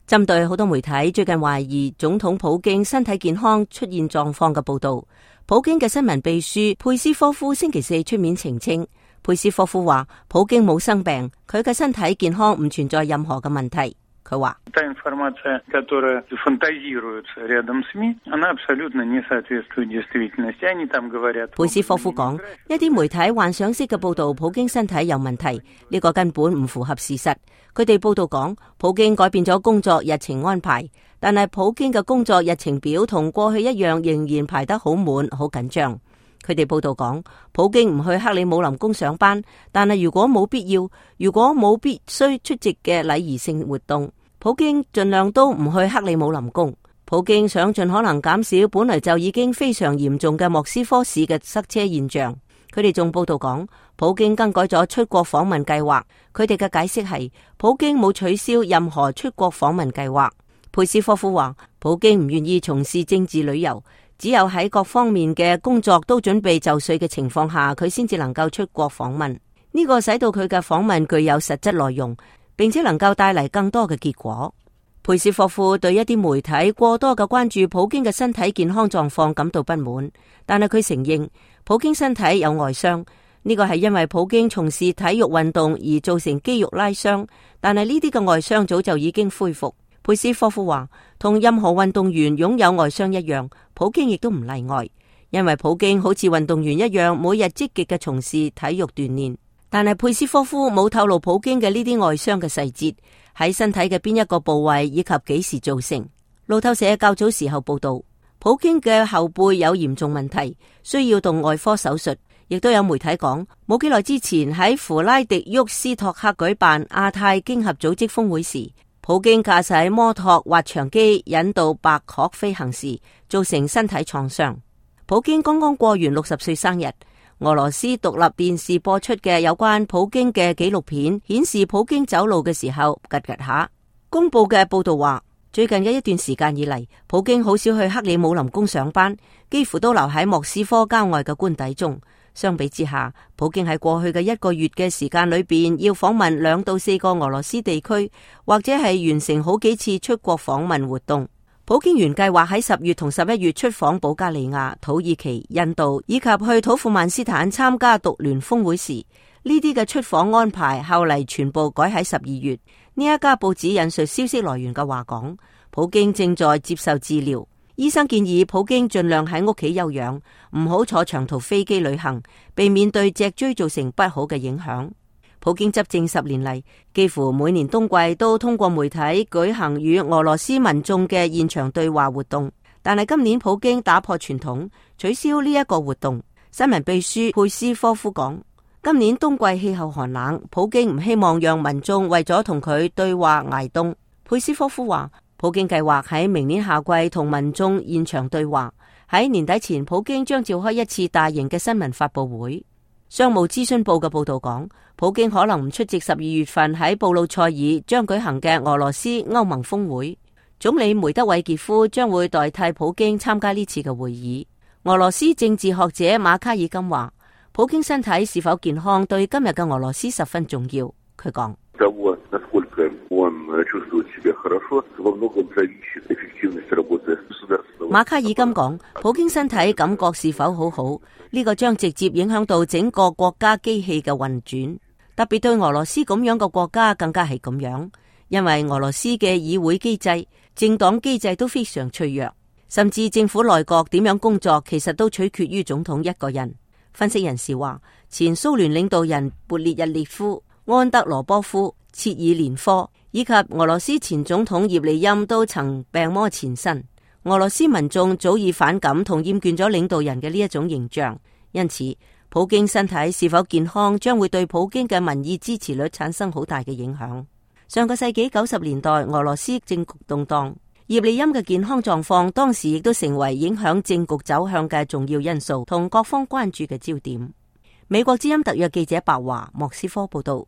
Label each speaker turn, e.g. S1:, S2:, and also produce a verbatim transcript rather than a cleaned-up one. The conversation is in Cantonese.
S1: 針對好多媒體最近懷疑總統普京身體健康出現狀況嘅報道，普京嘅新聞秘書佩斯科夫星期四出面澄清。佩斯科夫話普京冇生病，佢嘅身體健康唔存在任何嘅問題。佢話佩斯科夫講，一啲媒體幻想式嘅報道普京身體有問題，呢個根本唔符合事實。佢哋報道講普京改變咗工作日程安排，但係普京嘅工作日程表同過去一樣仍然排得好滿好緊張。佢哋報道講普京唔去克里姆林宮上班，但係如果冇必要，如果冇必須出席嘅禮儀性活動，普京盡量都唔去克里姆林宮。普京想盡可能減少本來就已經非常嚴重嘅莫斯科市嘅塞車現象。佢哋仲報道講普京更改咗出國訪問計劃。佢哋嘅解釋係普京冇取消任何出國訪問計劃。佩斯科夫話普京唔願意從事政治旅遊，只有喺各方面嘅工作都準備就緒嘅情況下，佢先至能夠出國訪問。呢個使到佢嘅訪問具有實質內容，並且能夠帶嚟更多嘅結果。佩斯科夫對一啲媒體過多嘅關注普京嘅身體健康狀況感到不滿，但係佢承認普京身體有外傷，呢個係因為普京從事體育運動而造成肌肉拉傷，但係呢啲嘅外傷早就已經恢復。佩斯科夫話，同任何運動員擁有外傷一樣，普京亦都唔例外，因為普京好似運動員一樣，每日積極嘅從事體育鍛煉。但係佩斯科夫冇透露普京嘅呢啲外傷嘅細節，喺身體嘅邊一個部位以及幾時造成。路透社較早時候報道，普京嘅後背有嚴重問題，需要動外科手術。亦都有媒體講，冇幾耐之前喺弗拉迪沃斯托克舉辦亞太經合組織峰會時，普京駕駛摩托滑翔機引導白鶴飛行時，造成身體創傷。普京剛剛過完六十歲生日。俄羅斯獨立電視播出嘅有關普京嘅紀錄片顯示，普京走路嘅時候吉吉下。公布嘅報道話，最近嘅一段時間以嚟，普京好少去克里姆林宮上班，幾乎都留喺莫斯科郊外嘅官邸中。相比之下，普京喺過去嘅一個月嘅時間裏邊，要訪問兩到四個俄羅斯地區，或者係完成好幾次出國訪問活動。普京原計劃喺十月同十一月出訪保加利亞、土耳其、印度以及去土庫曼斯坦參加獨聯峰會時，呢啲嘅出訪安排後嚟全部改喺十二月。呢一家報紙引述消息來源嘅話講，普京正在接受治療，醫生建議普京盡量喺屋企休養，唔好坐長途飛機旅行，避免對脊椎造成不好嘅影響。普京執政十年嚟，幾乎每年冬季都通過媒體舉行與俄羅斯民眾嘅現場對話活動，但係今年普京打破傳統，取消呢一個活動。新聞秘書佩斯科夫講，今年冬季氣候寒冷，普京唔希望讓民眾為咗同佢對話挨凍。佩斯科夫話，普京計劃喺明年夏季同民眾現場對話，喺年底前普京將召開一次大型嘅新聞發佈會。商務諮詢報嘅報道講，普京可能唔出席十二月份喺布魯塞爾將舉行嘅俄羅斯歐盟峰會。總理梅德韋傑夫將會代替普京參加呢次嘅會議。俄羅斯政治學者馬卡爾金話，普京身體是否健康對今日嘅俄羅斯十分重要。佢講，馬卡爾金講，普京身體感覺是否好好，呢個將直接影響到整個國家機器嘅運轉，特別對俄羅斯咁樣嘅國家更加係咁樣，因為俄羅斯嘅議會機制、政黨機制都非常脆弱，甚至政府內閣點樣工作，其實都取決於總統一個人。分析人士話，前蘇聯領導人勃列日列夫、安德羅波夫、切爾連科以及俄羅斯前總統葉利欽都曾病魔纏身。俄羅斯民眾早已反感同厭倦咗領導人嘅呢一種形象，因此普京身體是否健康將會對普京嘅民意支持率產生好大嘅影響。上個世紀九十年代俄羅斯政局動盪，葉利欽嘅健康狀況當時亦都成為影響政局走向嘅重要因素同各方關注嘅焦點。美國之音特約記者白華莫斯科報道。